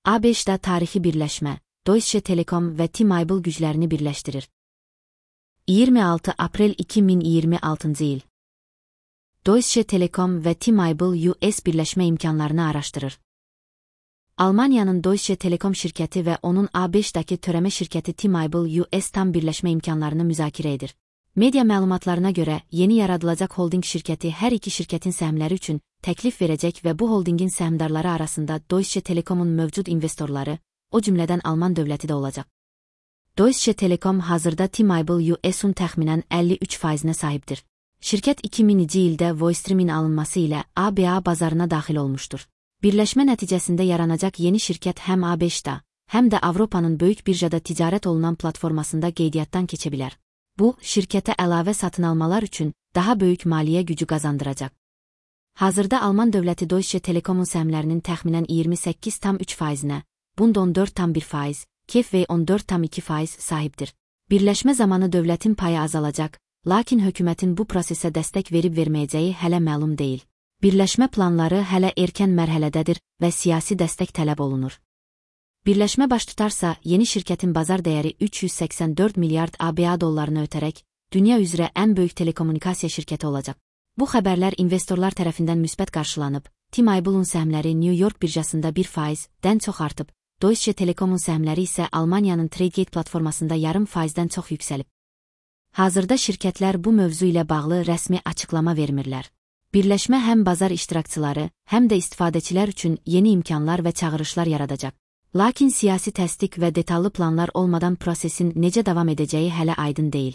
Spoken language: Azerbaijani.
ABŞ-da tarixi birləşmə, Deutsche Telekom və T-Mobile güclərini birləşdirir. 26 aprel 2026 il. Deutsche Telekom və T-Mobile US birləşmə imkanlarını araşdırır. Almaniyanın Deutsche Telekom şirkəti və onun ABŞ-daki törəmə şirkəti T-Mobile US tam birləşmə imkanlarını müzakirə edir. Media məlumatlarına görə, yeni yaradılacaq holding şirkəti hər iki şirkətin səhmləri üçün təklif verəcək və bu holdingin səhmdarları arasında Deutsche Telekomun mövcud investorları, o cümlədən Alman dövləti də olacaq. Deutsche Telekom hazırda T-Mobile US-un təxminən 53%-nə sahibdir. Şirkət 2000-ci ildə Voistream'in alınması ilə ABA bazarına daxil olmuşdur. Birləşmə nəticəsində yaranacaq yeni şirkət həm ABŞ-da, həm də Avropanın böyük birjada ticarət olunan platformasında qeydiyyatdan keçə bilər. Bu, şirkətə əlavə satın almalar üçün daha böyük maliyyə gücü qazandıracaq. Hazırda Alman dövləti Deutsche Telekomun səhmlərinin təxminən 28,3%-nə, Bund 14,1%, KfW 14,2% sahibdir. Birləşmə zamanı dövlətin payı azalacaq, lakin hökumətin bu prosesə dəstək verib-verməyəcəyi hələ məlum deyil. Birləşmə planları hələ erkən mərhələdədir və siyasi dəstək tələb olunur. Birləşmə baş tutarsa, yeni şirkətin bazar dəyəri 384 milyard ABA dollarını ötərək, dünya üzrə ən böyük telekommunikasiya şirkəti olacaq. Bu xəbərlər investorlar tərəfindən müsbət qarşılanıb, T-Mobile'un səhmləri New York birjasında 1%-dən çox artıb, Deutsche Telekomun səhmləri isə Almaniyanın Tradegate platformasında yarım faizdən çox yüksəlib. Hazırda şirkətlər bu mövzu ilə bağlı rəsmi açıqlama vermirlər. Birləşmə həm bazar iştirakçıları, həm də istifadəçilər üçün yeni imkanlar və çağırışlar yaradacaq. Lakin siyasi təsdiq və detallı planlar olmadan prosesin necə davam edəcəyi hələ aydın deyil.